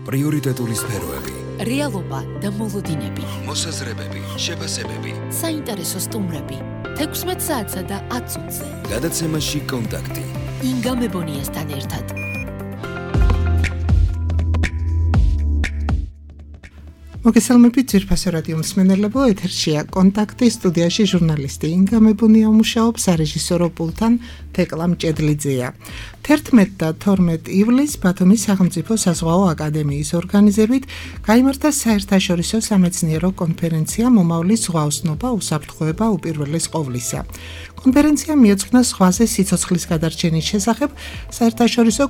პრიორიტეტული სფეროები, რეალობა და მოლოდინები, მოსაზრებები, შეფასებები, საინტერესო სტუმრები, 16 საათსა და 10 წუთზე. გადაცემაში კონტაქტი. ინგა მებონიასთან ერთად. მოგესალმებით ძვირფასო რადიო მსმენელებო, ეთერშია კონტაქტი, სტუდიაში ჟურნალისტი ინგა მებონია მუშაობს, სარეჟისორო პულტთან თეკლა მჭედლიძეა. 11 და 12 ივლისს ბათუმის სახელმწიფო საზღვაო აკადემიის ორგანიზებით გაიმართა საერთაშორისო სამეცნიერო კონფერენცია მომავლის ზღვაოსნობა, უსაფრთხოება უპირველეს ყოვლისა. კონფერენცია მიეძღვნა ზღვაზე სიცოცხლის გადარჩენის შესახებ საერთაშორისო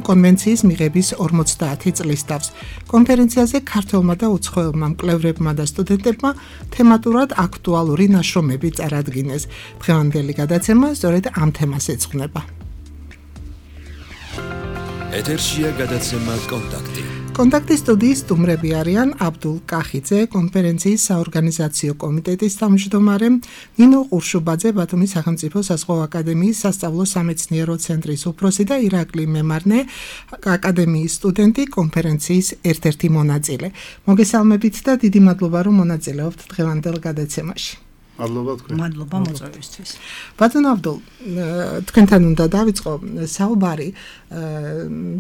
კონვენციის მიღების 50 წლის თავს. კონფერენციაზე ქართველმა და უცხოელმა მკვლევრებმა და სტუდენტებმა თემატურად აქტუალური ნაშრომები წარადგინეს. დღევანდელი გადაცემა სწორედ ამ თემას ეძღვნება. ეთერშია გადაცემა კონტაქტი. კონტაქტის სტუდიის სტუმრები არიან აბდულ კახიძე, კონფერენციის საორგანიზაციო კომიტეტის თავმჯდომარე, ნინო ყურშუბაძე, ბათუმის სახელმწიფო საზღვაო აკადემიის სასწავლო სამეცნიერო ცენტრის უფროსი და ირაკლი მემარნე, აკადემიის სტუდენტი, კონფერენციის ერთ-ერთი მონაწილე. მოგესალმებით და დიდი მადლობა, რომ მონაწილეობთ დღევანდელ გადაცემაში. მადლობა მოწვევისთვის. ბატონ აბდულ, თქვენთან უნდა დავიწყო საუბარი.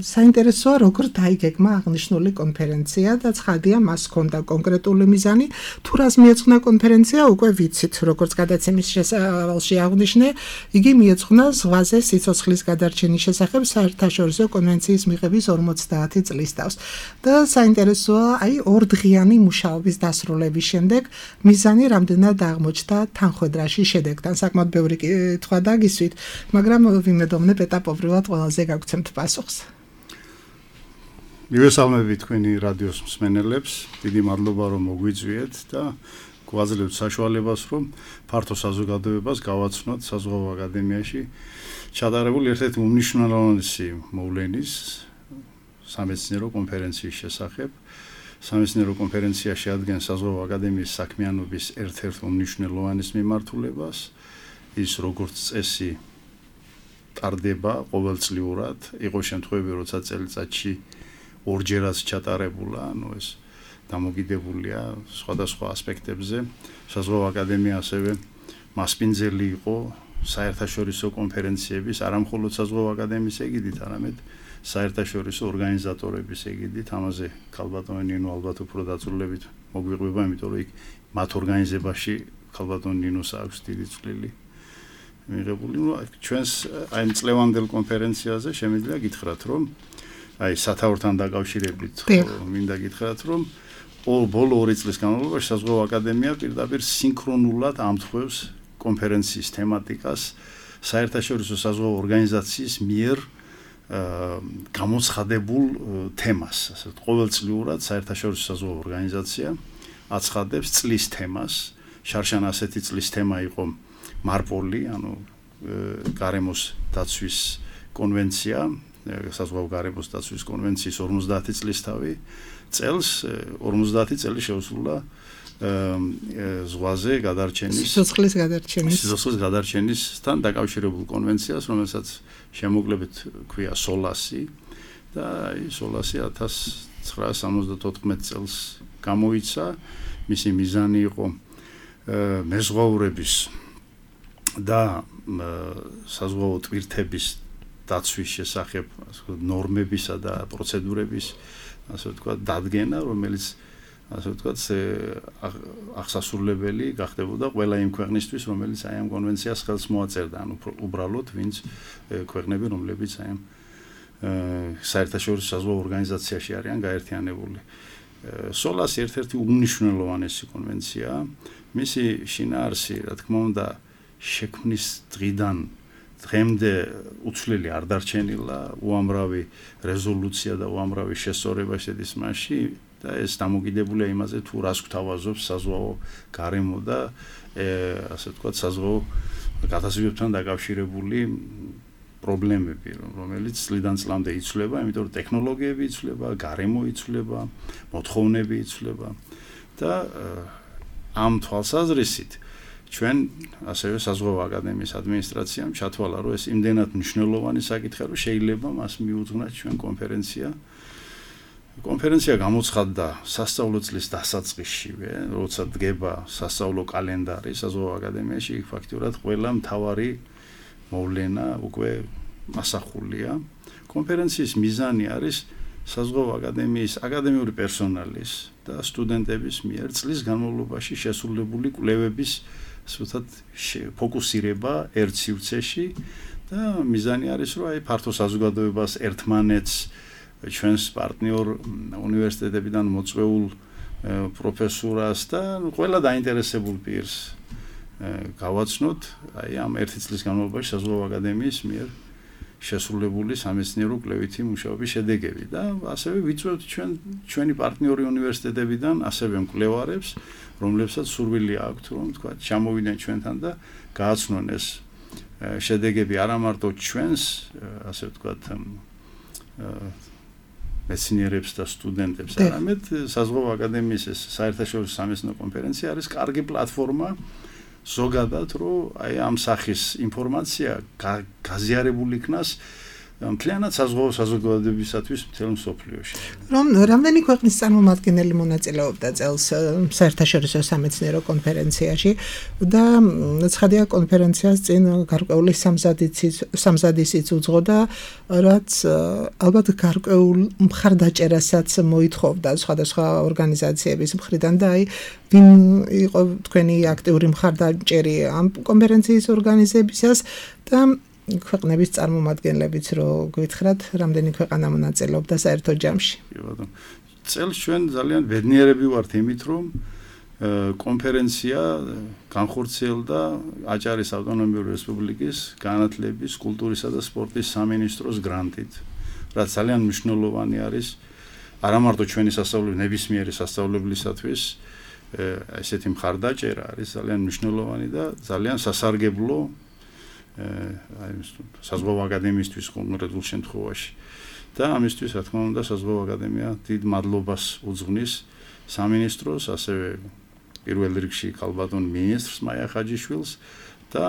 საინტერესოა, როგორ დაიგეგმა აღნიშნული კონფერენცია და ცხადია, მას ჰქონდა კონკრეტული მიზანი. თუ რას მიეძღვნა კონფერენცია, უკვე ვიცით, როგორც გადაცემის შესავალში აღნიშნე, იგი მიეძღვნა ზღვაზე სიცოცხლის გადარჩენის შესახებ საერთაშორისო კონვენციის მიღების 50 წლის თავს. და საინტერესოა, ორდღიანი მუშაობის დასრულების შემდეგ მიზანი რამდენად აღმოჩნდა თანხმედრაში შედეგთან. საკმაოდ ბევრი კითხვა დაგისვით, მაგრამ ვიმედოვნებ ეტაპობრივად ყველაზე გაგცემთ პასუხს. მივესალმებით თქვენი რადიოს მსმენელებს, დიდი მადლობა რომ მოგვიწვიეთ და გვაძლევთ საშუალებას რომ ფართო საზოგადოებას გავაცნოთ საზღვაო აკადემიაში ჩატარებული ერთ-ერთი უმნიშვნელოვანესი მოვლენის სამეცნიერო კონფერენციის შესახებ. სამეცნიერო კონფერენცია შეადგენს საზღვაო აკადემიის საქმიანობის ერთ-ერთ უმნიშვნელოვანეს მიმართულებას. ის როგორც წესი ტარდება ყოველწლიურად, იყო შემთხვევები, როცა წელიწადში ორჯერაც ჩატარებულა, ეს დამოკიდებულია სხვადასხვა ასპექტებზე. საზღვაო აკადემია ასევე მასპინძელი იყო საერთაშორისო კონფერენციების, არა მხოლოდ საზღვაო აკადემიის ეგიდით, არამედ საერთაშორისო ორგანიზატორების ეგიდით. ამაზე ქალბატონი ნინო ალბათ უფრო დაწვრილებით მოგვიყვება, იმიტომ რომ იქ მათ ორგანიზებაში ქალბატონი ნინოს აქვს დიდი წვლილი მიღებული. ჩვენს ამ წლევანდელ კონფერენციაზე შემიძლია გითხრათ, რომ სათაურთან დაკავშირებით მინდა გითხრათ, რომ ბოლო 2 წლის განმავლობაში საზღვაო აკადემია პირდაპირ სინქრონულად ამთხვევს კონფერენციის თემატიკას საერთაშორისო საზღვაო ორგანიზაციის მიერ გამოცხადებულ თემას. ასე ყოველწლიურად საერთაშორისო საზღვაო ორგანიზაცია აცხადებს წლის თემას. შარშან ასეთი წლის თემა იყო მარპოლი, გარემოს დაცვის კონვენცია, საზღვაო გარემოს დაცვის კონვენციის 50 წლისთავი წელს 50 წელი შეუსრულა ზღვაზე გადარჩენის სიცოცხლის გადარჩენისთან დაკავშირებულ კონვენციას, რომელსაც შემოკლებით ქვია სოლასი და სოლასი 1974 წელს გამოიცა. მისი მიზანი იყო მეზღვაურების და საზღვაო ტვირთების დაცვის შესახებ ნორმებისა და პროცედურების ასე ვთქვათ დადგენა, რომელიც ასე ვთქვათ აღსასრულებელი გახდებოდა ყველა იმ ქვეყნისთვის, რომელიც აი ამ კონვენციას ხელს მოაწერდა, უბრალოდ ვინც ქვეყნები, რომლებიც აი ამ საერთაშორისო საზღვაო ორგანიზაციაში არიან გაერთიანებული. სოლასი ერთ-ერთი უმნიშვნელოვანესი კონვენციაა. მისი შინაარსი, რა თქმა უნდა, შექმნის დღიდან დღემდე უცვლელი არ დარჩენილა, უამრავი რეზოლუცია და უამრავი შესწორება შედის მასში და ეს დამოკიდებულია იმაზე, თუ რას გვთავაზობს საზღვაო გარემო და ასე ვთქვათ საზღვაო გადაზიდვებთან დაკავშირებული პრობლემები, რომელიც წლიდან წლამდე იცვლება, იმიტომ რომ ტექნოლოგიები იცვლება, გარემო იცვლება, მოთხოვნები იცვლება და ამ თვალსაზრისით ჩვენ ასევე საზღვაო აკადემიის ადმინისტრაციამ ჩათვალა, რომ ეს იმდენად მნიშვნელოვანი საკითხია, რომ შეიძლება მას მიუძღვნათ ჩვენ კონფერენცია კონფერენცია გამოცხადდა სასწავლო წლის დასაწყისშივე, როცა დგება სასწავლო კალენდარი საზღვაო აკადემიაში, ფაქტურად ყველა მთავარი მოვლენა უკვე ასახულია. კონფერენციის მიზანი არის საზღვაო აკადემიის აკადემიური პერსონალის და სტუდენტების მიერ წლის განმავლობაში შესრულებული კვლევების სულთად ფოკუსირება ერთ სივრცეში და მიზანი არის რომ აი ფართო საზოგადოებას ერთმანეთს ჩვენს პარტნიორ უნივერსიტეტებიდან მოწვეულ პროფესორას და ყველა დაინტერესებულ პირს გავაცნოთ აი ამ ერთი წლის განმავლობაში საზღვაო აკადემიის მიერ შესრულებული სამეცნიერო კვლევითი მუშაობის შედეგები და ასევე ვიწვევთ ჩვენი პარტნიორი უნივერსიტეტებიდან ასევე მკვლევარებს, რომლებსაც სურვილი აქვთ, რომ თქვა ჩამოვიდნენ ჩვენთან და გააცნონ ეს შედეგები არა მარტო ჩვენს, ასე ვთქვათ, მეცნიერებს და სტუდენტებს, არამედ საზღვაო აკადემიის ეს საერთაშორისო სამეცნიერო კონფერენცია არის კარგი პლატფორმა ზოგადად რომ აი ამ სახის ინფორმაცია გაზიარებული იქნას მთლიანად საზღვაო საზოგადოებისათვის მთელ მსოფლიოში. რომ რამდენი ქვეყნის წარმომადგენელი მონაწილეობდა წელს საერთაშორისო სამეცნიერო კონფერენციაში და ცხადია კონფერენციას წინ გარკვეული სამზადისიც უძღოდა, რაც ალბათ გარკვეულ მხარდაჭერასაც მოითხოვდა სხვადასხვა ორგანიზაციების მხრიდან და აი ვინ იყო თქვენი აქტიური მხარდაჭერი ამ კონფერენციის ორგანიზებისას და ქვეყნების წარმომადგენლებიც რო გვითხრათ, რამდენი ქვეყანა მონაწილეობდა საერთო ჯამში. კი ბატონო. წელს ჩვენ ძალიან ბედნიერები ვართ იმით, რომ კონფერენცია განხორციელდა აჭარის ავტონომიური რესპუბლიკის განათლების, კულტურისა და სპორტის სამინისტროს გრანტით, რაც ძალიან მნიშვნელოვანი არის არა მარტო ჩვენი სასწავლებელი ნებისმიერი სასწავლებლისათვის, ესეთი მხარდაჭერა არის ძალიან მნიშვნელოვანი და ძალიან სასარგებლო აი საზღვაო აკადემიისთვის კონკრეტულ შემთხვევაში და ამისთვის რა თქმა უნდა საზღვაო აკადემია დიდ მადლობას უძღვნის სამინისტროს, ასევე პირველ რიგში ქალბატონ მინისტრს მაია ხაჯიშვილს და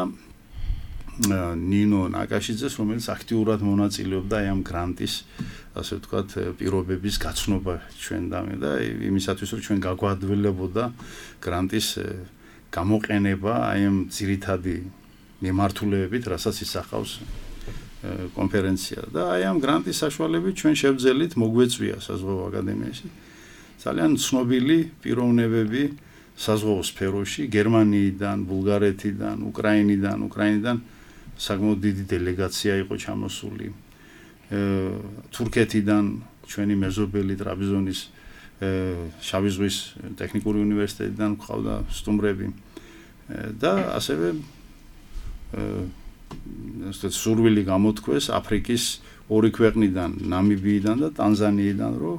ნინო ნაკაშიძეს, რომელიც აქტიურად მონაწილეობდა აი ამ გრანტის, ასე ვთქვათ, პირობების გაცნობა ჩვენდამე და იმისათვის რომ ჩვენ გაგვადვილებოდა გრანტის გამოყენება აი ამ ძირითადი მიმართულებებით, რასაც ისახავს კონფერენცია და აი ამ გრანტის საშუალებით ჩვენ შევძელით მოგვეწვია საზღვაო აკადემიაში ძალიან ცნობილი პიროვნებები საზღვაო სფეროში, გერმანიიდან, ბულგარეთიდან, უკრაინიდან საკმაოდ დიდი დელეგაცია იყო ჩამოსული. თურქეთიდან ჩვენი მეზობელი ტრაბზონის შავი ზღვის ტექნიკური უნივერსიტეტიდან ყავდა სტუმრები და ასევე სურვილი გამოთქვეს აფრიკის ორი ქვეყნიდან, ნამიბიიდან და ტანზანიიდან, რომ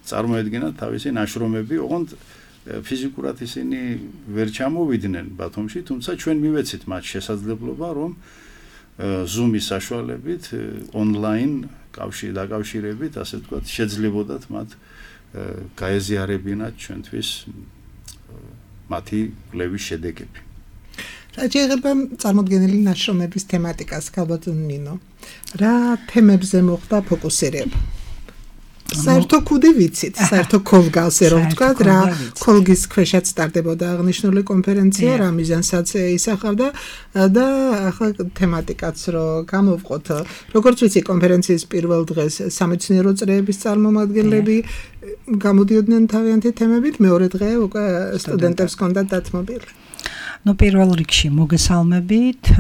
წარმოედგინათ თავისი ნაშრომები, ოღონდ ფიზიკურად ისინი ვერ ჩამოვიდნენ ბათუმში, თუმცა ჩვენ მივეცით მათ შესაძლებლობა, რომ Zoom-ის საშუალებით ონლაინ დაკავშირებით, ასე ვთქვათ, შეძლებოდათ მათ გაეზიარებინათ ჩვენთვის მათი კვლევის შედეგები. რა შეიძლება წარმოდგენილი ნაშრომების თემატიკას, ქალბატონ ნინო, რა თემებზე მოხდა ფოკუსირება? საერთო კუდი ვიცით, საერთო კოლგასზე რომ ვთქვათ, რა კოლგის ქვეშაც სტარდებოდა აღნიშნული კონფერენცია, რა მიზანსაც ისახავდა და ახლა თემატიკაც რო გამოვყოთ, როგორც ვიცი, კონფერენციის პირველ დღეს სამეცნიერო წრეების წარმომადგენლები გამოდიოდნენ თავიანთი თემებით, მეორე დღე უკვე სტუდენტებს ჰქონდათ დათმობილი. პირველ რიგში მოგესალმებით,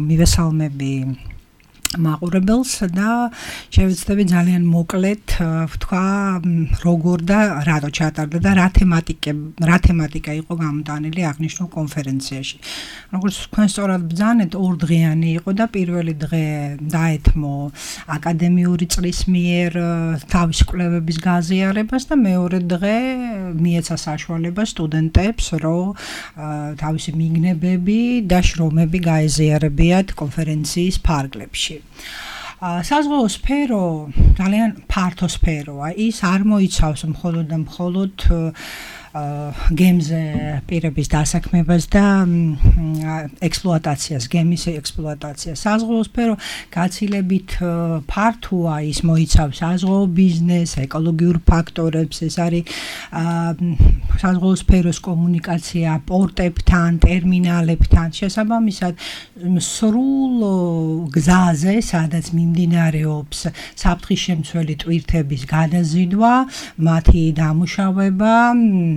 მივესალმები მაყურებელს და შევეცდები ძალიან მოკლედ ვთქვა როგორ და რატო ჩატარდა და რა თემატიკა იყო გამოტანილი აღნიშნულ კონფერენციაში. როგორც თქვენ სწორად ბრძანეთ, ორდღიანი იყო და პირველი დღე დაეთმო აკადემიური წრის მიერ თავის კვლევების გაზიარებას და მეორე დღე მიეცა საშუალება სტუდენტებს, რომ თავისი მიგნებები და შრომები გაეზიარებიათ კონფერენციის ფარგლებში. საზღვაო სფერო ძალიან ფართო სფეროა. ის არ მოიცავს მხოლოდ გემზე პირების დასაქმებას და ექსპლუატაციას, გემის ექსპლუატაციას. საზღვაო სფერო გაცილებით ფართოა, ის მოიცავს საზღვაო ბიზნესს, ეკოლოგიურ ფაქტორებს, ეს არის საზღვაო სფეროს კომუნიკაცია პორტებთან, ტერმინალებთან, შესაბამისად სრულ გზაზე, სადაც მიმდინარეობს საფრთხის შემცველი ტვირთების გადაზიდვა, მათი დამუშავება,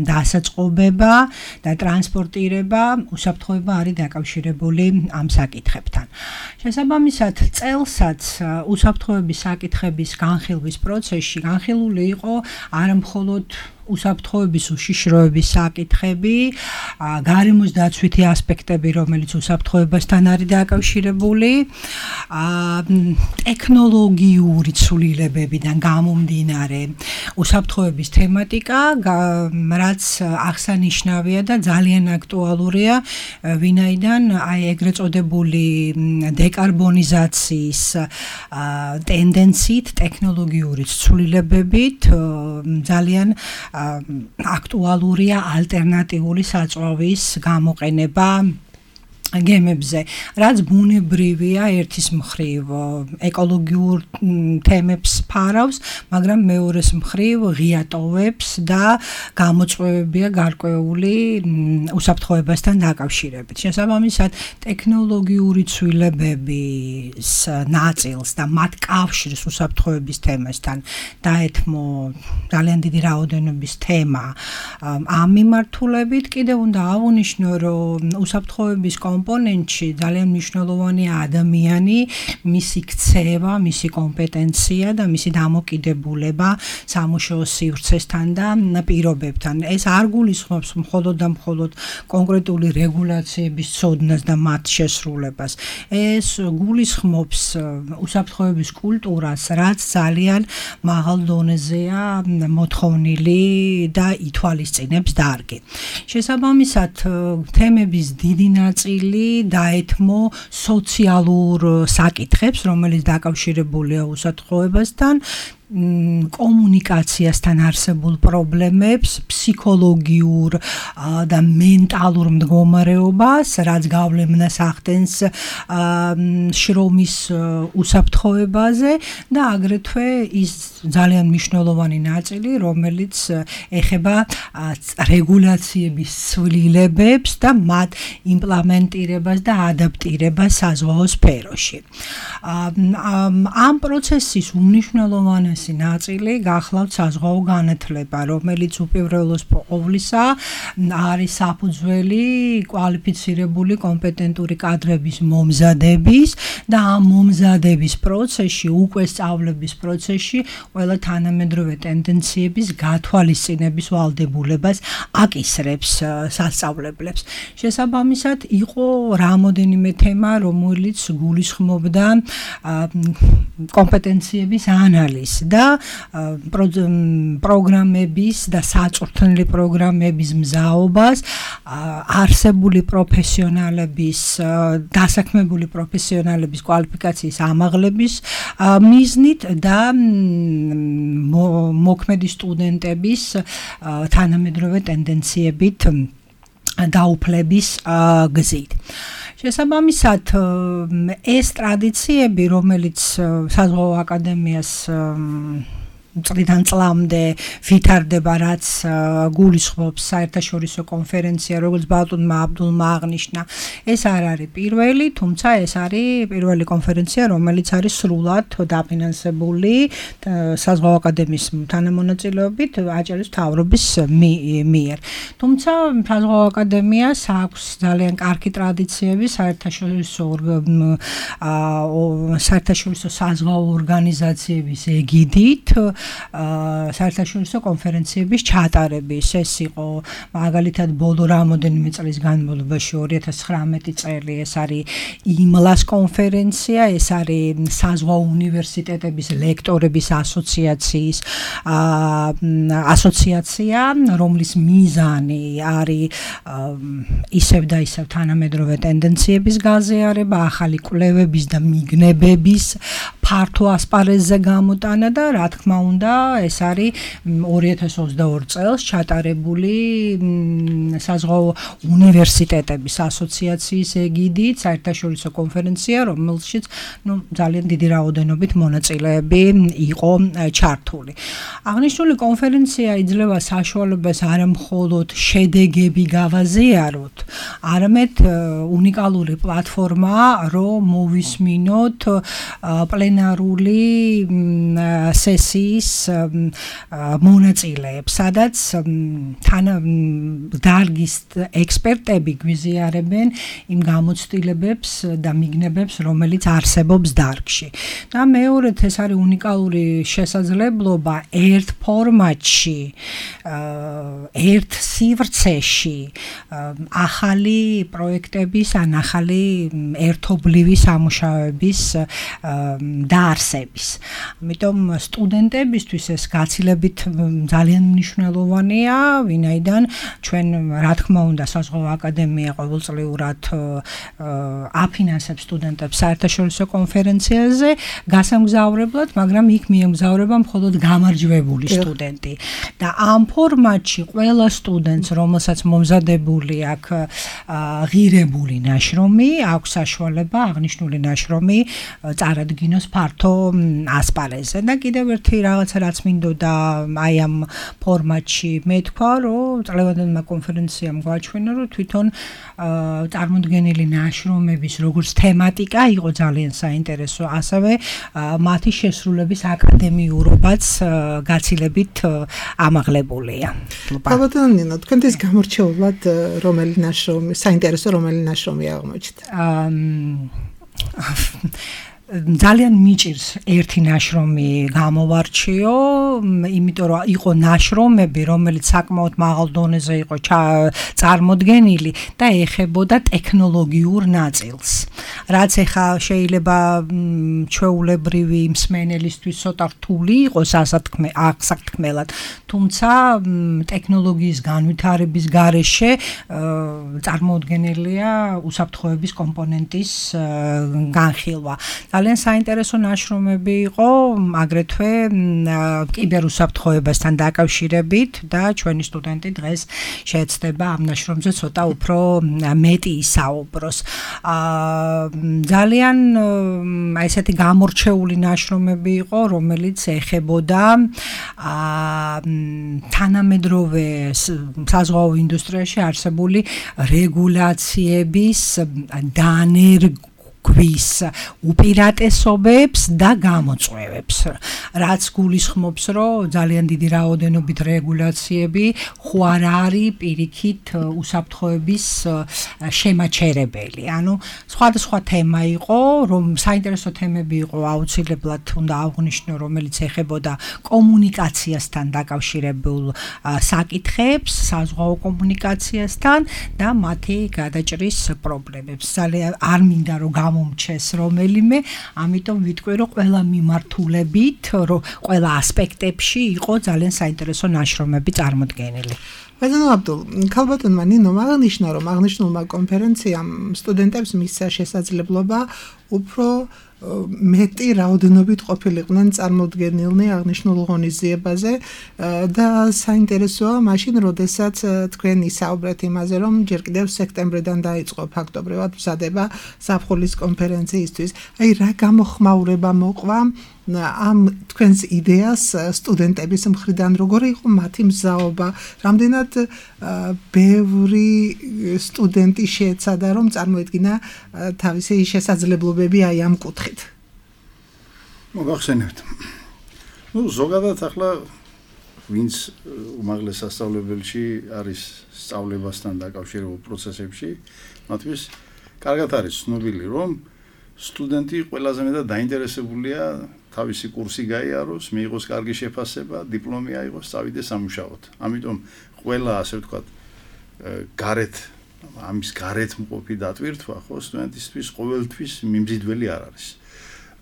დასაწყობება და ტრანსპორტირება, უსაფრთხოება არის დაკავშირებული ამ საკითხებთან. შესაბამისად, წელსაც უსაფრთხოების საკითხების განხილვის პროცესში განხილული იყო არა მხოლოდ უსაფრთხოების უშიშროების საკითხები, გარემოს დაცვითი ასპექტები, რომელიც უსაფრთხოებასთან არის დაკავშირებული, ტექნოლოგიური ცვლილებებიდან გამომდინარე უსაფრთხოების თემატიკა, რაც აღსანიშნავია და ძალიან აქტუალურია, ვინაიდან აი ეგრეთ წოდებული დეკარბონიზაციის ტენდენციით, ტექნოლოგიური ცვლილებებით ძალიან აქტუალურია ალტერნატიული საწვავის გამოყენება გემებზე, რაც ბუნებრივია ერთის მხრივ ეკოლოგიურ თემებს ფარავს, მაგრამ მეორეს მხრივ ღია ტოვებს და გამოწვევებია გარკვეული უსაფრთხოებასთან დაკავშირებით. შესაბამისად, ტექნოლოგიური ცვლილებების ნაწილს და მათ კავშირს უსაფრთხოების თემასთან დაეთმო ძალიან დიდი რაოდენობის თემა. ამ მიმართულებით კიდევ უნდა ავუნიშნო, რომ უსაფრთხოების კომპონენტში ძალიან მნიშვნელოვანია ადამიანი, მისი ქცევა, მისი კომპეტენცია და მისი დამოკიდებულება სამუშაო სივრცესთან და პირობებთან. ეს არ გულისხმობს მხოლოდ და მხოლოდ კონკრეტული რეგულაციების ცოდნას და მათ შესრულებას. ეს გულისხმობს უსაფრთხოების კულტურას, რაც ძალიან მაღალ დონეზეა მოთხოვნილი და ითვალისწინებს დარგი. შესაბამისად, თემების დიდი ნაწილი დაეთმო სოციალურ საკითხებს, რომელიც დაკავშირებულია უსაფრთხოებასთან, კომუნიკაციასთან არსებულ პრობლემებს, ფსიქოლოგიურ და მენტალურ მდგომარეობას, რაც გავლენას ახდენს შრომის უსაფრთხოებაზე და აგრეთვე ის ძალიან მნიშვნელოვანი ნაწილი, რომელიც ეხება რეგულაციების ცვლილებებს და მათ იმპლემენტირებას და ადაპტირებას საზღვაო სფეროში. ამ პროცესის უმნიშვნელოვანესი ნაწილი გახლავთ საზღვაო განათლება, რომელიც უპირველეს ყოვლისა არის საფუძველი კვალიფიცირებული კომპეტენტური კადრების მომზადების და ამ მომზადების პროცესში, უკვე სწავლების პროცესში ყველა თანამედროვე ტენდენციების გათვალისწინების ვალდებულებას აკისრებს სასწავლებლებს. შესაბამისად, იყო რამოდენიმე თემა, რომელიც გულისხმობდა კომპეტენციების ანალიზს და პროგრამების და საწვრთნელი პროგრამების მზაობას, არსებული პროფესიონალების, დასაქმებული პროფესიონალების კვალიფიკაციის ამაღლების მიზნით და მოქმედი სტუდენტების თანამედროვე ტენდენციებით დაუფლების გზით. შესაბამისად, ეს ტრადიციები, რომელიც საზღვაო აკადემიას წლიდან წლამდე ვითარდება, რაც გულისხმობს საერთაშორისო კონფერენცია, როგორც ბატონმა აბდულმა აღნიშნა, ეს არ არის პირველი, თუმცა ეს არის პირველი კონფერენცია, რომელიც არის სრულად დაფინანსებული საზღვაო აკადემიის თანამონაწილეობით აჭარის მთავრობის მიერ. თუმცა საზღვაო აკადემიას აქვს ძალიან კარგი ტრადიციები საერთაშორისო საზღვაო ორგანიზაციების ეგიდით, საერთაშორისო კონფერენციების ჩატარების. ეს იყო მაგალითად ბოლო რამოდენიმე წლის განმავლობაში 2019 წელი, ეს არის იმლას კონფერენცია, ეს არის საზღვაო უნივერსიტეტების ლექტორების ასოციაცია, რომლის მიზანი არის ისევ და ისევ თანამედროვე ტენდენციების გაზიარება, ახალი კვლევების და მიგნებების ფართო ასპარეზზე გამოტანა და რა თქმა უნდა, ეს არის 2022 წელს ჩატარებული საზღვაო უნივერსიტეტების ასოციაციის ეგიდით საერთაშორისო კონფერენცია, რომელშიც ძალიან დიდი რაოდენობით მონაწილეები იყო ჩართული. აღნიშნული კონფერენცია იძლევა საშუალებას არა მხოლოდ შედეგები გავაზიაროთ, არამედ უნიკალური პლატფორმაა, რომ მოვისმინოთ პლენარული სესიის მონაწილეებს, სადაც დარგის ექსპერტები გვიზიარებენ იმ გამოცდილებებს და მიგნებებს, რომელიც არსებობს დარგში. და მეორედ ეს არის უნიკალური შესაძლებლობა ერთ ფორმატში, ერთ სივრცეში ახალი პროექტების ან ახალი ერთობლივი სამუშაოების დაარსების. ამიტომ სტუდენტებისთვის ეს გაცილებით ძალიან მნიშვნელოვანია, ვინაიდან ჩვენ რა თქმა უნდა საზღვაო აკადემია ყოველწლიურად აფინანსებს სტუდენტებს საერთაშორისო კონფერენციაზე გასამგზავრებლად, მაგრამ იქ მიემგზავრება მხოლოდ გამარჯვებული სტუდენტი. და ამ ფორმატში ყველა სტუდენტს, რომელსაც მომზადებული აქვს ღირებული ნაშრომი, აქვს საშუალება აღნიშნული ნაშრომი წარადგინოს ფართო ასპარეზზე. და კიდევ ერთი რაღაცა რაც მინდოდა აი ამ ფორმატში მეთქვა, რომ წლევანდელმა კონფერენციამ გვაჩვენა, რომ თვითონ წარმოდგენილი ნაშრომების როგორც თემატიკა იყო ძალიან საინტერესო, ასევე მათი შესრულების აკადემიურობაც გაცილებით ამაღლებულია. ალბათ ნინო, თქვენთვის გამორჩეულად რომელი ნაშრომი, საინტერესო რომელი ნაშრომი აღმოჩნდა? ძალიან მიჭირს ერთი ნაშრომი გამოვარჩიო, იმიტომ რომ იყო ნაშრომები, რომელიც საკმაოდ მაღალ დონეზე იყო წარმოდგენილი და ეხებოდა ტექნოლოგიურ ნაწილს. რაც ეხა შეიძლება ჩვეულებრივი მსმენელისთვის ცოტა რთული იყოს ასათქმელად, თუმცა ტექნოლოგიის განვითარების გარეშე წარმოუდგენელია უსაფრთხოების კომპონენტის განხილვა. ძალიან საინტერესო ნაშრომები იყო, აგრეთვე კიბერუსაფრთხოებასთან დაკავშირებით და ჩვენი სტუდენტი დღეს შეეცდება ამ ნაშრომზე ცოტა უფრო მეტი ისაუბროს. ძალიან ესეთი გამორჩეული ნაშრომები იყო, რომელიც ეხებოდა თანამედროვე საზღვაო ინდუსტრიაში არსებული რეგულაციების დანერგვის უპირატესობებს და გამოწვევებს, რაც გულისხმობს, რომ ძალიან დიდი რაოდენობით რეგულაციები ხო არ არის პირიქით უსაფრთხოების შემაჩერებელი. ანუ სხვადასხვა თემა იყო, რომ საინტერესო თემები იყო, აუცილებლად უნდა აღვნიშნო, რომელიც ეხებოდა კომუნიკაციასთან დაკავშირებულ საკითხებს, საზღვაო კომუნიკაციასთან და მათი გადაჭრის პრობლემებს. ძალიან არ მინდა რომ მომჩეს რომელიმე, ამიტომ ვიტყვი, რომ ყველა მიმართულებით, რომ ყველა ასპექტებში იყო ძალიან საინტერესო ნაშრომები წარმოდგენილი. ბატონო აბდულ, ქალბატონმა ნინომ აღნიშნა, რომ აღნიშნულმა კონფერენციამ სტუდენტებს მისცა შესაძლებლობა უფრო მეტი რაოდენობით ყოფილიყვნენ წარმოდგენილნი აღნიშნულ ღონისძიებაზე და საინტერესოა მაშინ, როდესაც თქვენ ისაუბრეთ იმაზე, რომ ჯერ კიდევ სექტემბრიდან დაიწყო ფაქტობრივად მზადება ზაფხულის კონფერენციისთვის. აი რა გამოხმაურება მოყვა ამ თქვენს იდეას სტუდენტების მხრიდან, როგორი იყო მათი მზაობა, რამდენად ბევრი სტუდენტი შეეცადა, რომ წარმოედგინა თავისი შესაძლებლობები აი ამ კუთხით. მოგახსენებთ. ზოგადად ახლა ვინც უმაღლეს სასწავლებელში არის სწავლებასთან დაკავშირებულ პროცესებში, მათთვის კარგად არის ცნობილი, რომ სტუდენტი ყველაზე მეტად დაინტერესებულია თავისი კურსი გაიაროს, მიიღოს კარგი შეფასება, დიპლომი აიღოს, წავიდეს სამუშაოდ. ამიტომ ყველა, ასე ვთქვათ, ამის გარეთ მყოფი დატვირთვა, ხო, სტუდენტისთვის ყოველთვის მიმზიდველი არ არის.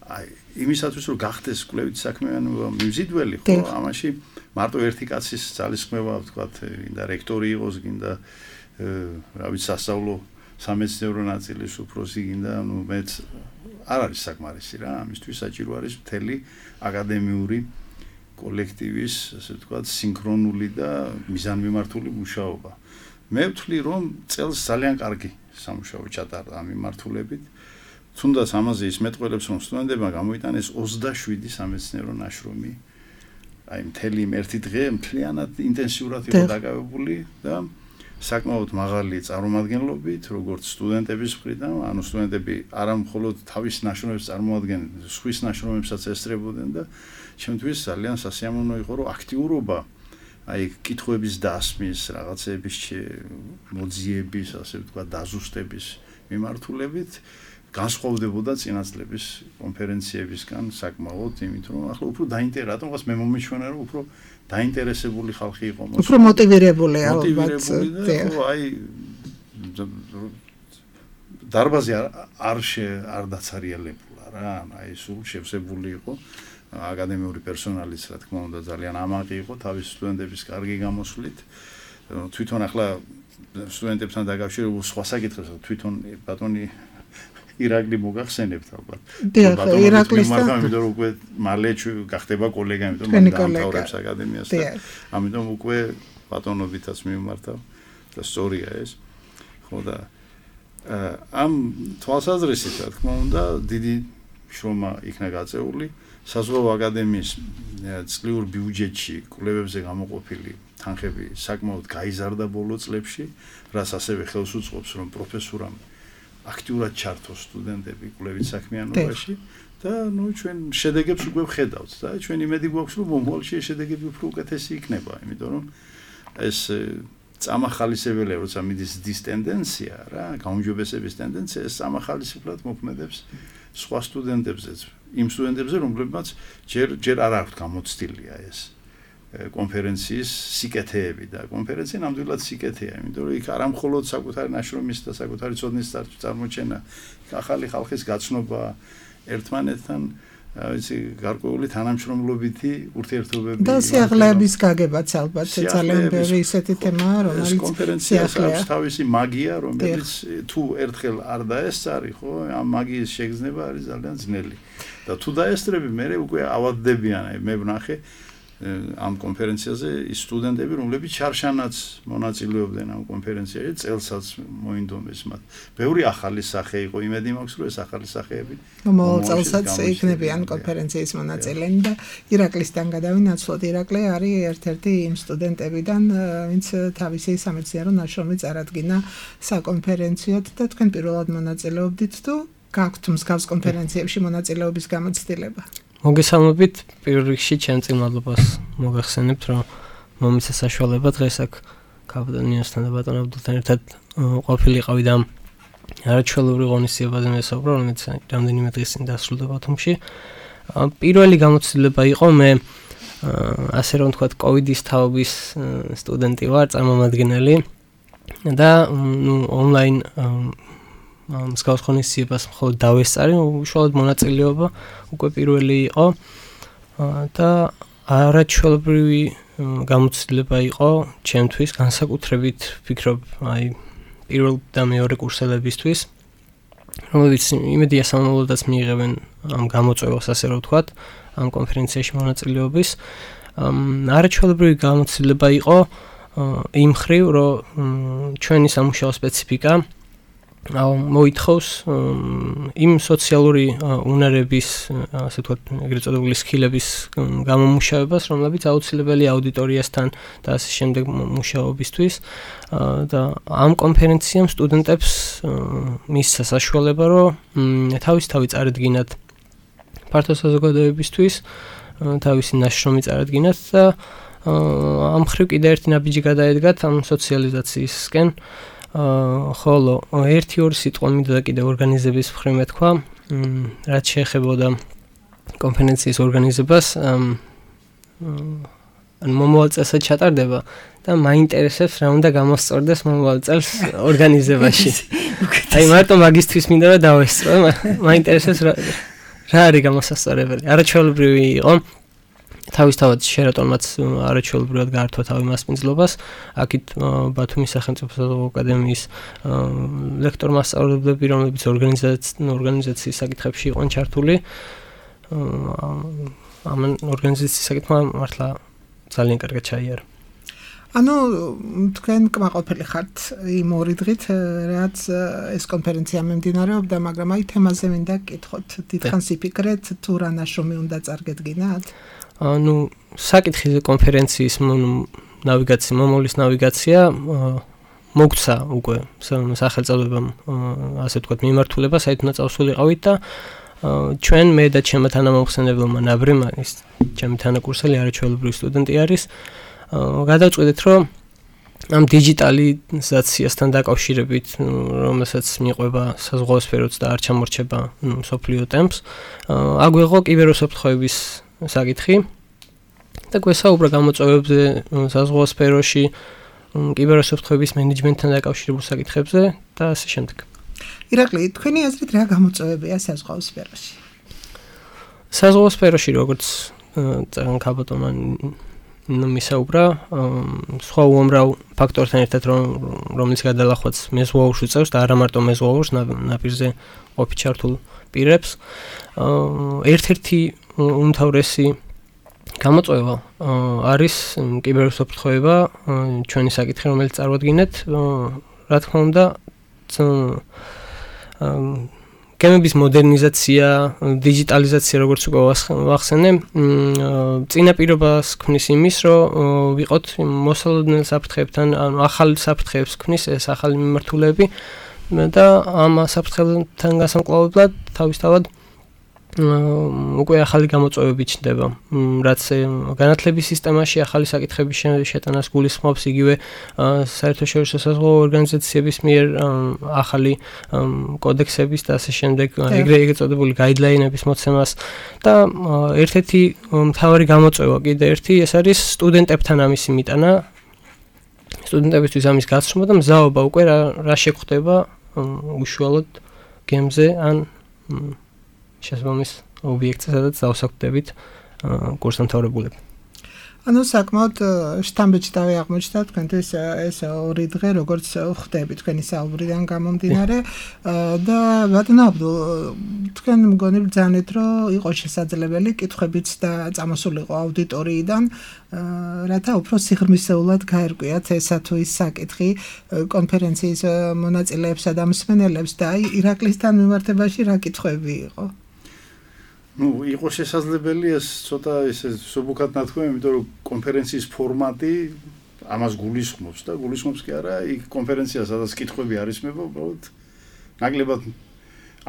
აი, იმისათვის რომ გახდეს კვლევით საქმიანობა მიმზიდველი, ხო, ამაში მარტო ერთი კაცის ძალისხმევა, ვთქვათ, გინდა რექტორი იყოს, გინდა რა ვიცი, სასწავლო სამეცნიერო ნაწილის უფროსი გინდა, მეც არ არის საკმარისი რა, ამისთვის საჭირო არის მთელი აკადემიური კოლექტივის, ასე ვთქვათ, სინქრონული და მიზანმიმართული მუშაობა. მე ვთვლი, რომ წელს ძალიან კარგი სამუშაო ჩატარდა ამ მიმართულებით. თუნდაც ამაზე ის მეტყველებს, რომ სტუდენტებმა გამოიტანეს 27 სამეცნიერო ნაშრომი. აი მთელი ერთი დღე მთლიანად ინტენსიურად იყო დაკავებული და საკმაოდ მაღალი წარმომადგენლობით, როგორც სტუდენტების მხრიდან, ანუ სტუდენტები არა მხოლოდ თავის ნაშრომებს წარმოადგენდნენ, სხვის ნაშრომებსაც ესწრებოდნენ და ჩემთვის ძალიან სასიამოვნო იყო, რომ აქტიურობა აი კითხვების დასმის, რაღაცების მოძიების, ასე ვთქვათ, დაზუსტების მიმართულებით განსხვავდებოდა წინა წლების კონფერენციებისგან საკმაოდ, იმით რომ ახლა უფრო რატომღაც მე მომიჩვენა, რომ უფრო დაინტერესებული ხალხი იყო, უფრო მოტივირებული ალბათ. აი დარბაზი არ დაცარიელებულა რა, აი სულ შევსებული იყო. აკადემიური პერსონალიც, რა თქმა უნდა, ძალიან ამაყი იყო თავის სტუდენტების კარგი გამოსვლით. თვითონ ახლა სტუდენტებთან დაკავშირებულ სხვა საკითხებს თვითონ ბატონი ირაკლი მოგახსენებთ ალბათ. ირაკლისთან იმიტომ რომ უკვე მალე გახდება კოლეგა, იმიტომ რომ დამთავრებს აკადემიას და ამიტომ უკვე ბატონობითაც მიმართავ და სწორია ეს. ხო და ამ თვალსაზრისით, რა თქმა უნდა, დიდი შრომა იქნა გაწეული. საზღვაო აკადემიის წლიურ ბიუჯეტში კვლევებზე გამოყოფილი თანხები საკმაოდ გაიზარდა ბოლო წლებში, რაც ასევე ხელს უწყობს, რომ პროფესურამ აქტიურად ჩართოს სტუდენტები კვლევით საქმიანობაში და ჩვენ შედეგებს უკვე ვხედავთ და ჩვენ იმედი გვაქვს, რომ მომავალში შედეგები უფრო უკეთესი იქნება, იმიტომ რომ ეს წამახალისებელი, როცა მიდის დის ტენდენცია რა, გაუმჯობესების ტენდენცია, ეს წამახალისებლად მოქმედებს სხვა სტუდენტებზეც, იმ სტუდენტებზე, რომლებმაც ჯერ არ აქვთ გამოცდილია ეს კონფერენციის სიკეთეები და კონფერენცია ნამდვილად სიკეთეა, იმიტომ რომ იქ არა მხოლოდ საკუთარი ნაშრომის და საკუთარი ცოდნის წარმოჩენა, ახალი ხალხის გაცნობა ერთმანეთთან, ვიცი, გარკვეული თანამშრომლობითი ურთიერთობები და სიახლეების გაგებაც ალბათ ძალიან ბევრი ისეთი თემაა, რომელიც კონფერენციას აქვს თავისი მაგია, რომელიც თუ ერთხელ არ დაესწარი, ხო, ამ მაგიის შეგრძნება არის ძალიან ძნელი. და თუ დაესწრები, მე უკვე ავადდებიან, მე ვნახე ამ კონფერენციაზე ის სტუდენტები, რომლებიც ჩარშანაც მონაწილეობდნენ ამ კონფერენციაში, წელსაც მოინდომეს მათ. ბევრი ახალი სახე იყო, იმედი მაქვს, რომ ეს ახალი სახეები მომავალ წელსაც იქნებიან კონფერენციის მონაწილენი და ირაკლისთან გადავინაცვლოთ. ირაკლი არის ერთ-ერთი იმ სტუდენტებიდან, ვინც თავისი სამეცნიერო ნაშრომი წარადგინა საკონფერენციოდ და თქვენ პირველად მონაწილეობდით თუ გაქვთ მსგავს კონფერენციებში მონაწილეობის გამოცდილება? მოგესალმებით, პირველ რიგში ჩემ წინ მადლობას მოგახსენებთ, რომ მომიცა საშუალება დღეს აქ კაპიტანიოსთან და ბატონ აბდულთან ერთად ყოფილიყავი და არაჩვეულებრივ ღონისძიებაზე მესაუბრა, რომელიც რამდენიმე დღის წინ დასრულდა ბათუმში. პირველი გამოცდილება იყო, მე ასე რომ ვთქვათ, კოვიდის თაობის სტუდენტი ვარ, წარმომადგენელი და ონლაინ მსგავს ღონისძიებას მხოლოდ დავესწარი, უშუალოდ მონაწილეობა უკვე პირველი იყო და არაჩვეულებრივი გამოცდილება იყო ჩემთვის, განსაკუთრებით ვფიქრობ, აი პირველ და მეორე კურსელებისთვის, რომლებიც იმედია სამომავლოდაც მიიღებენ ამ გამოწვევას, ასე რომ ვთქვათ, ამ კონფერენციაში მონაწილეობის. არაჩვეულებრივი გამოცდილება იყო იმ მხრივ, რომ ჩვენი სამუშაო სპეციფიკა მოითხოვს იმ სოციალური უნარების, ასე ვთქვათ, ეგრეთ წოდებული სკილების გამომუშავებას, რომლებიც აუცილებელია აუდიტორიასთან და ასე შემდეგ მუშაობისთვის და ამ კონფერენციამ სტუდენტებს მისცა საშუალება, რომ თავისთავად წარედგინათ ფართო საზოგადოებისთვის, თავისი ნაშრომი წარედგინათ და ამ მხრივ კიდე ერთი ნაბიჯი გადაედგათ ამ სოციალიზაციისკენ. ხოლო ერთი-ორი სიტყვა მინდოდა კიდე ორგანიზების მხრივ მეთქვა, რაც შეეხებოდა კონფერენციის ორგანიზებას, მომავალ წელსაც ჩატარდება და მაინტერესებს რა უნდა გამოსწორდეს მომავალ წელს ორგანიზებაში. აი მარტო მაგისთვის მინდა რომ დავესწრო, მაინტერესებს რა არის გამოსასწორებელი. არაჩვეულებრივი იყო. თავისთავად შერატონმაც არაჩვეულებრივად გაართვა თავი მასპინძლობას, აქეთ ბათუმის სახელმწიფო საზღვაო აკადემიის ლექტორ-მასწავლებლები, რომლებიც ორგანიზაციის საკითხებში იყვნენ ჩართული, ამ ორგანიზაციის საკითხმა მართლა ძალიან კარგად ჩაიარა. ანუ თქვენ კმაყოფილი ხართ იმ ორი დღით, რაც ეს კონფერენცია მიმდინარეობდა, მაგრამ აი თემაზე მინდა გკითხოთ. დიდხანს იფიქრეთ თუ რა ნაშრომი უნდა წარგედგინათ? ანუ საკითხი კონფერენციის მომავლის ნავიგაცია მოგცა უკვე სახელწოდებამ, ასე ვთქვათ, მიმართულება, საით უნდა წავსულიყავით და ჩვენ მე და ჩემი თანამომხსენებელმა ნაბრიმ ის ჩემი თანაკურსელი არაჩვეულებრივი სტუდენტი არის. გადავწყვეტეთ, რომ ამ დიჯიტალიზაციასთან დაკავშირებით, რომელსაც მიყვება საზღვაო სფეროც და არ ჩამორჩება მსოფლიო ტემპს, აგვიღო კიბერუსაფრთხოების საკითხი და გვესაუბრა გამოწვევებზე საზღვაო სფეროში, კიბერუსაფრთხოების მენეჯმენტთან დაკავშირებულ საკითხებზე და ასე შემდეგ. ირაკლი, თქვენი აზრით რა გამოწვევებია საზღვაო სფეროში? საზღვაო სფეროში როგორც ძალიან ქაბატონმა მისაუბრა, სხვა უამრავ ფაქტორთან ერთად, რომელიც გადალახვაც მეზღვაურს უწევს და არა მარტო მეზღვაურს, ნაპირზე ყოფი ჩართულ პირებს. ერთ-ერთი უმთავრესი გამოწვევა არის კიბერუსაფრთხოება, ჩვენი საკითხი, რომელიც წარვადგინეთ, რა თქმა უნდა, გემების მოდერნიზაცია, დიჯიტალიზაცია, როგორც უკვე ვახსენე, წინაპირობას ქმნის იმის, რომ ვიყოთ მოსალოდნელ საფრთხეებთან, ანუ ახალ საფრთხეებს ქმნის ეს ახალი მიმართულები და ამ საფრთხეებთან გასამკლავებლად თავისთავად უკვე ახალი გამოწვევები ჩნდება, რაც განათლების სისტემაში ახალი საკითხების შეტანას გულისხმობს, იგივე საერთაშორისო საზღვაო ორგანიზაციების მიერ ახალი კოდექსების და ასე შემდეგ, ეგრეთ წოდებული გაიდლაინების მოცემას და ერთ-ერთი მთავარი გამოწვევა კიდე ერთი ეს არის სტუდენტებთან ამისი მიტანა, სტუდენტებისთვის ამის გაცნობა და მზაობა უკვე რა შეგვხდება უშუალოდ გემზე ან შესაბამის ობიექტზე, სადაც დავსაკვდებით კურსდამთავრებულები. ანუ საკმაოდ შთამბეჭდავი აღმოჩნდა თქვენთვის ეს ორი დღე, როგორც ხვდები თქვენი საუბრიდან გამომდინარე და ბატონო აბდულ, თქვენ მგონი ბრძანეთ, რომ იყო შესაძლებელი კითხვებიც და წამოსულიყო აუდიტორიიდან, რათა უფრო სიღრმისეულად გაერკვიათ ესა თუ ის საკითხი კონფერენციის მონაწილეებსა და მსმენელებს და აი ირაკლისთან მიმართებაში რა კითხვები იყო? იყო შესაძლებელი ეს ცოტა ესე სუბუქად ნათქვამი, იმიტომ რომ კონფერენციის ფორმატი ამას გულისხმობს და გულისხმობს კი არა, იქ კონფერენცია, სადაც კითხვები არის მეფო, უბრალოდ ნაკლებად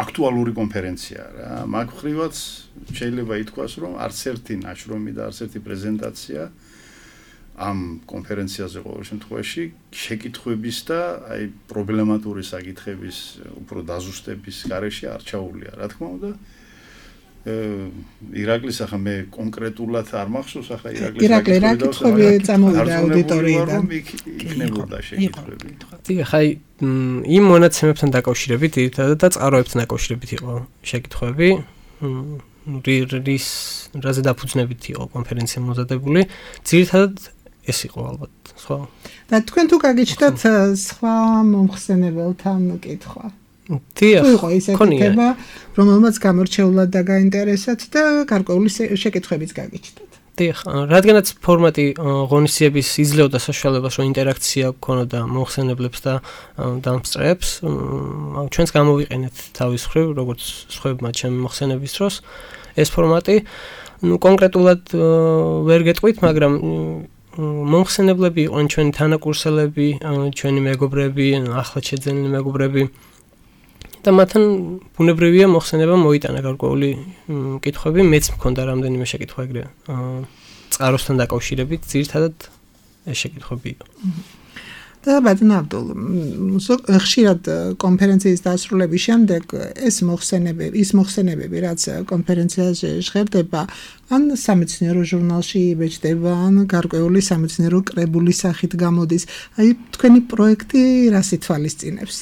აქტუალური კონფერენცია რა. მაგ ხრივაც შეიძლება ითქვას, რომ არც ერთი ნაშრომი და არც ერთი პრეზენტაცია ამ კონფერენციაზე ყოველ შემთხვევაში შეკითხვების და აი პრობლემატური საკითხების უფრო დაზუსტების გარეშე არ ჩაუვლია, რა თქმა უნდა. ირაკლის ახლა მე კონკრეტულად არ მახსოვს, ახლა ირაკლი რა კითხვები წამოვიდა აუდიტორიიდან? იქნებოდა შეკითხვები. ახლა იმ მონაცემებთან დაკავშირებით და წყაროებთან დაკავშირებით იყო შეკითხვები, რაზე დაფუძნებით იყო კონფერენცია მომზადებული, ძირითადად ეს იყო ალბათ, სხვა. და თქვენ თუ გაგიჩნდათ სხვა მომხსენებელთან კითხვა? დიახ, იყო ისეთი თემა, რომელმაც გამორჩეულად დაგაინტერესათ და გარკვეული შეკითხვებიც გაგიჩნდათ. დიახ, რადგანაც ფორმატი ღონისძიების იძლეოდა საშუალებას, რომ ინტერაქცია გქონოდა მომხსენებლებს და დამსწრეებს, ჩვენც გამოვიყენეთ თავის მხრივ, როგორც სხვებმა ჩემი მოხსენების დროს ეს ფორმატი, კონკრეტულად ვერ გეტყვით, მაგრამ მომხსენებლები იყვნენ ჩვენი თანაკურსელები, ჩვენი მეგობრები, ახლად შეძენილი მეგობრები და მათთან ბუნებრივია მოხსენება მოიტანა გარკვეული კითხვები, მეც მქონდა რამდენიმე შეკითხვა ეგრე წყაროსთან დაკავშირებით, ძირითადად ეს შეკითხვები იყო. და ბატონო აბდულ, ხშირად კონფერენციის დასრულების შემდეგ ის მოხსენებები, რაც კონფერენციაზე ჟღერდება, ან სამეცნიერო ჟურნალში იბეჭდება, ან გარკვეული სამეცნიერო კრებულის სახით გამოდის. აი თქვენი პროექტი რას ითვალისწინებს?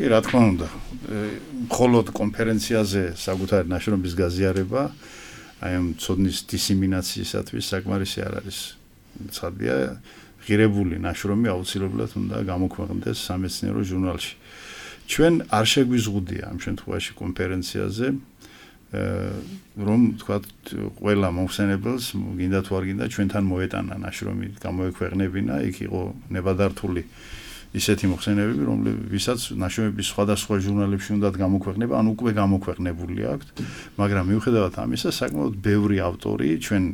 რა თქმა უნდა, მხოლოდ კონფერენციაზე საკუთარი ნაშრომის გაზიარება, აი ამ ცოდნის დისემინაციისათვის საკმარისი არ არის. ცხადია, ღირებული ნაშრომი აუცილებლად უნდა გამოქვეყნდეს სამეცნიერო ჟურნალში. ჩვენ არ შეგვიზღუდია ამ შემთხვევაში კონფერენციაზე რომ თქვათ ყველა მომხსენებელს გინდა თუ არ გინდა ჩვენთან მოეტანა ნაშრომი გამოექვეყნებინა, იქ იყო ნებადართული ისეთი მოხსენებები, რომლებსაც ნაშრომების სხვადასხვა ჟურნალებში უნდათ გამოქვეყნება, ან უკვე გამოქვეყნებული აქვთ, მაგრამ მიუხედავად ამისა, საკმაოდ ბევრი ავტორი ჩვენ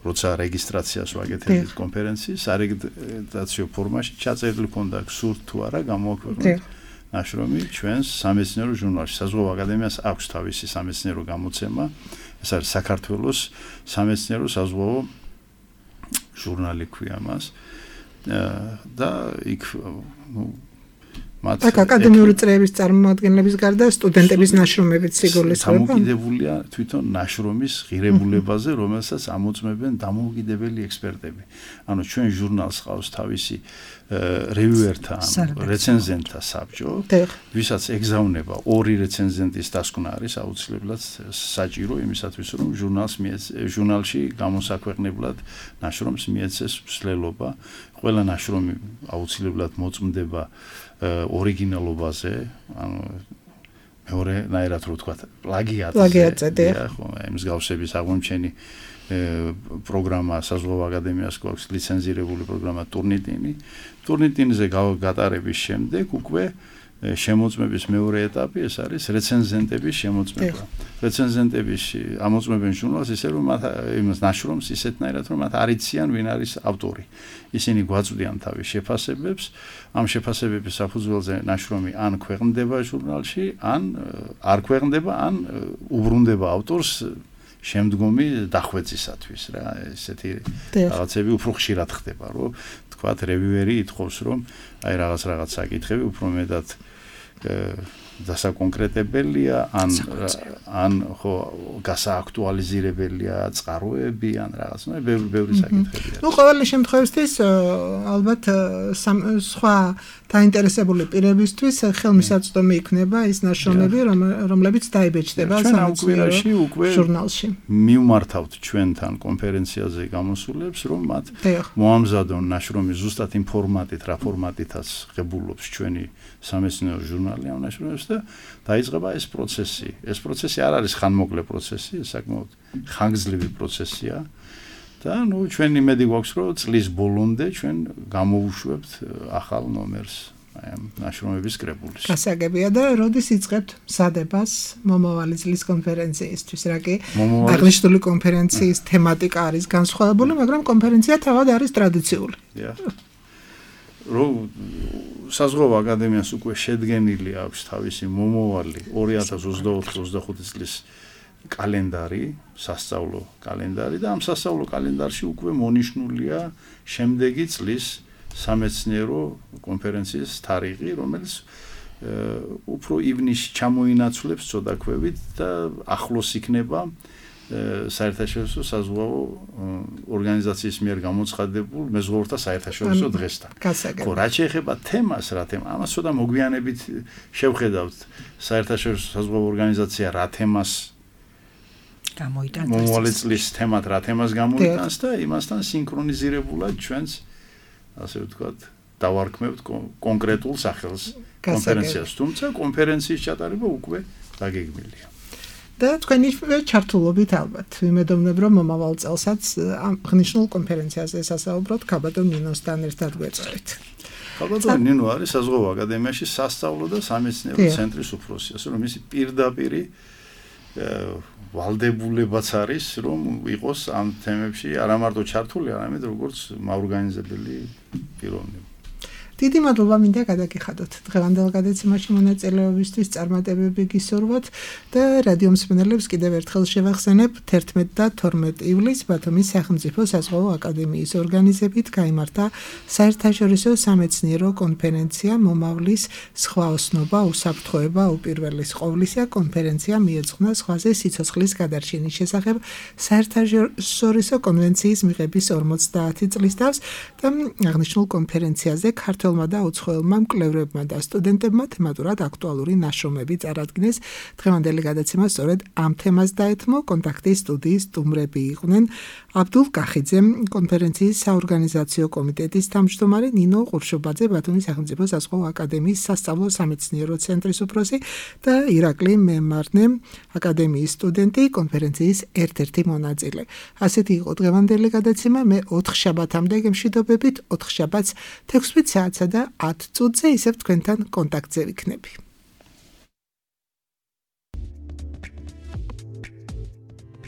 როცა რეგისტრაციას ვაკეთებთ კონფერენციის, სარეგისტრაციო ფორმაში ჩაწერილი ქონდა სურთ თუ არა გამოქვეყნოთ ნაშრომი ჩვენს სამეცნიერო ჟურნალში. საზღვაო აკადემიას აქვს თავისი სამეცნიერო გამოცემა, ეს არის საქართველოს სამეცნიერო საზღვაო ჟურნალი ქვია მას. და იქ აქ აკადემიური წრეების წარმომადგენლების გარდა სტუდენტების ნაშრომებიც სიგულისხმება. დამოუკიდებულია თვითონ ნაშრომის ღირებულებაზე, რომელსაც ამოწმებენ დამოუკიდებელი ექსპერტები. ანუ ჩვენ ჟურნალს ყავს თავისი რევიუერთა, რეცენზენტთა საბჭო, ვისაც ეგზავნება ორი რეცენზენტის დასკვნა არის აუცილებლად საჭირო იმისათვის, რომ ჟურნალში გამოსაქვეყნებლად ნაშრომს მიეცეს მსვლელობა. ყველა ნაშრომი აუცილებლად მოწმდება ორიგინალობაზე, ანუ მეორენაირად რო ვთქვა, პლაგიატზე, ხო, მსგავსების აღმოჩენი პროგრამა საზღვაო აკადემიას გვაქვს ლიცენზირებული პროგრამა ტურნიტინზე გატარების შემდეგ უკვე შემოწმების მეორე ეტაპი ეს არის რეცენზენტების შემოწმება. რეცენზენტების ამოწმებენ ჟურნალს ისე რომ მათ იმას ნაშრომს ისეთნაირად რომ მათ არ იციან ვინ არის ავტორი. ისინი გვაწვდიან თავის შეფასებებს, ამ შეფასებების საფუძველზე ნაშრომი ან ქვეყნდება ჟურნალში, ან არ ქვეყნდება, ან უბრუნდება ავტორს შემდგომი დახვეწისათვის რა, ესეთი რაღაცები უფრო ხშირად ხდება, რომ თქვათ რევიუერი ითხოვს, რომ აი რაღაც საკითხები უფრო მეტად დასაკონკრეტებელია, ან ხო გასააქტუალიზირებელია წყაროები, ან რაღაც, ბევრი საკითხებია. ნუ ყოველი შემთხვევისთვის ალბათ სხვა დაინტერესებული პირებისთვის ხელმისაწვდომი იქნება ის ნაშრომები, რომლებიც დაიბეჭდება სამეცნიერო ჟურნალში. მივმართავთ ჩვენთან კონფერენციაზე გამოსულებს, რომ მათ მოამზადონ ნაშრომი ზუსტად იმ ფორმატით, რა ფორმატითაც ღებულობს ჩვენი სამეცნიერო ჟურნალი ამ ნაშრომებს და დაიწყება ეს პროცესი. ეს პროცესი არ არის ხანმოკლე პროცესი, ეს საკმაოდ ხანგრძლივი პროცესია. და ნუ ჩვენ იმედი გვაქვს, რომ წლის ბოლომდე ჩვენ გამოვუშვებთ ახალ ნომერს აი ამ ნაშრომების კრებულის. გასაგებია და როდის იწყებთ მსადებას მომავალი წლის კონფერენციისთვის, რა კი აღნიშნული კონფერენციის თემატიკა არის განსხვავებული, მაგრამ კონფერენცია თავად არის ტრადიციული. რომ საზღვაო აკადემიას უკვე შედგენილი აქვს თავისი მომავალი 2024-25 წლის კალენდარი, სასწავლო კალენდარი და ამ სასწავლო კალენდარში უკვე მონიშნულია შემდეგი წლის სამეცნიერო კონფერენციის თარიღი, რომელიც უფრო ივნისში ჩამოინაცვლებს ცოდაქვებით და ახლოს იქნება საერთაშორისო საზღვაო ორგანიზაციის მიერ გამოცხადებულ მეზღვაურთა საერთაშორისო დღესთან. ხო, რაც შეეხება თემას, რა თემა, ამას ცოტა მოგვიანებით შევხედავთ. საერთაშორისო საზღვაო ორგანიზაცია რა თემას გამოიტანს, მომავალი წლის თემად რა თემას გამოიტანს და იმასთან სინქრონიზირებულად ჩვენს ასე ვთქვათ, დავარქმევთ კონკრეტულ სახელს კონფერენციას, თუმცა კონფერენციის ჩატარება უკვე დაგეგმილია. და თქვენი ჩართულობით ალბათ ვიმედოვნებ, რომ მომავალ წელსაც აღნიშნულ კონფერენციაზე სასაუბროთ ქაბადო ნინოსთან ერთად გვეწევით. ქაბადო ნინო არის საზღვაო აკადემიაში სასწავლო და სამეცნიერო ცენტრის უფროსი, ასე რომ მისი პირდაპირი ვალდებულებაც არის, რომ იყოს ამ თემებში არა მარტო ჩართული, არამედ როგორც მაორგანიზებელი პიროვნება. დიდი მადლობა მინდა გადაგიხადოთ დღევანდელ გადაცემაში მონაწილეობისთვის, წარმატებები გისურვოთ და რადიო მსმენელებს კიდევ ერთხელ შევახსენებ 11 და 12 ივლისს ბათუმის სახელმწიფო საზღვაო აკადემიის ორგანიზებით გაიმართა საერთაშორისო სამეცნიერო კონფერენცია მომავლის სხვა ოსნობა, უსაფრთხოება, უპირველეს ყოვლისა. კონფერენცია მიეძღვნა ზღვაზე სიცოცხლის გადარჩენის შესახებ საერთაშორისო კონვენციის მიღების 50 წლის თავს და აღნიშნულ კონფერენციაზე ქართული მმართველმა და უცხოელმა მკვლევრებმა და სტუდენტებმა თემატურად აქტუალური ნაშრომები წარადგინეს. დღევანდელი გადაცემა სწორედ ამ თემას დაეთმო. კონტაქტის სტუდიის სტუმრები იყვნენ აბდულ კახიძე, კონფერენციის საორგანიზაციო კომიტეტის თავმჯდომარე, ნინო ყურშუბაძე, ბათუმის სახელმწიფო საზღვაო აკადემიის სასწავლო სამეცნიერო ცენტრის უფროსი და ირაკლი მემარნე, აკადემიის სტუდენტი, კონფერენციის ერთ-ერთი მონაწილე. ასეთი იყო დღევანდელი გადაცემა. მე 4 შაბათამდე გემშვიდობებით, 4 შაბათს 16 საათსა და 10 წუთზე ისევ თქვენთან კონტაქტზე ვიქნები.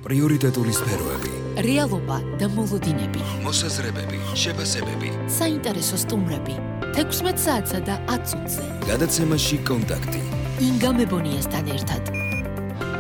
პრიორიტეტული სფეროები, რეალობა და მოლოდინები, მოსაზრებები, შეფასებები. საინტერესო სტუმრები 16 საათსა და 10 წუთზე. გადაცემაში კონტაქტი. ინგა მებონიასთან ერთად.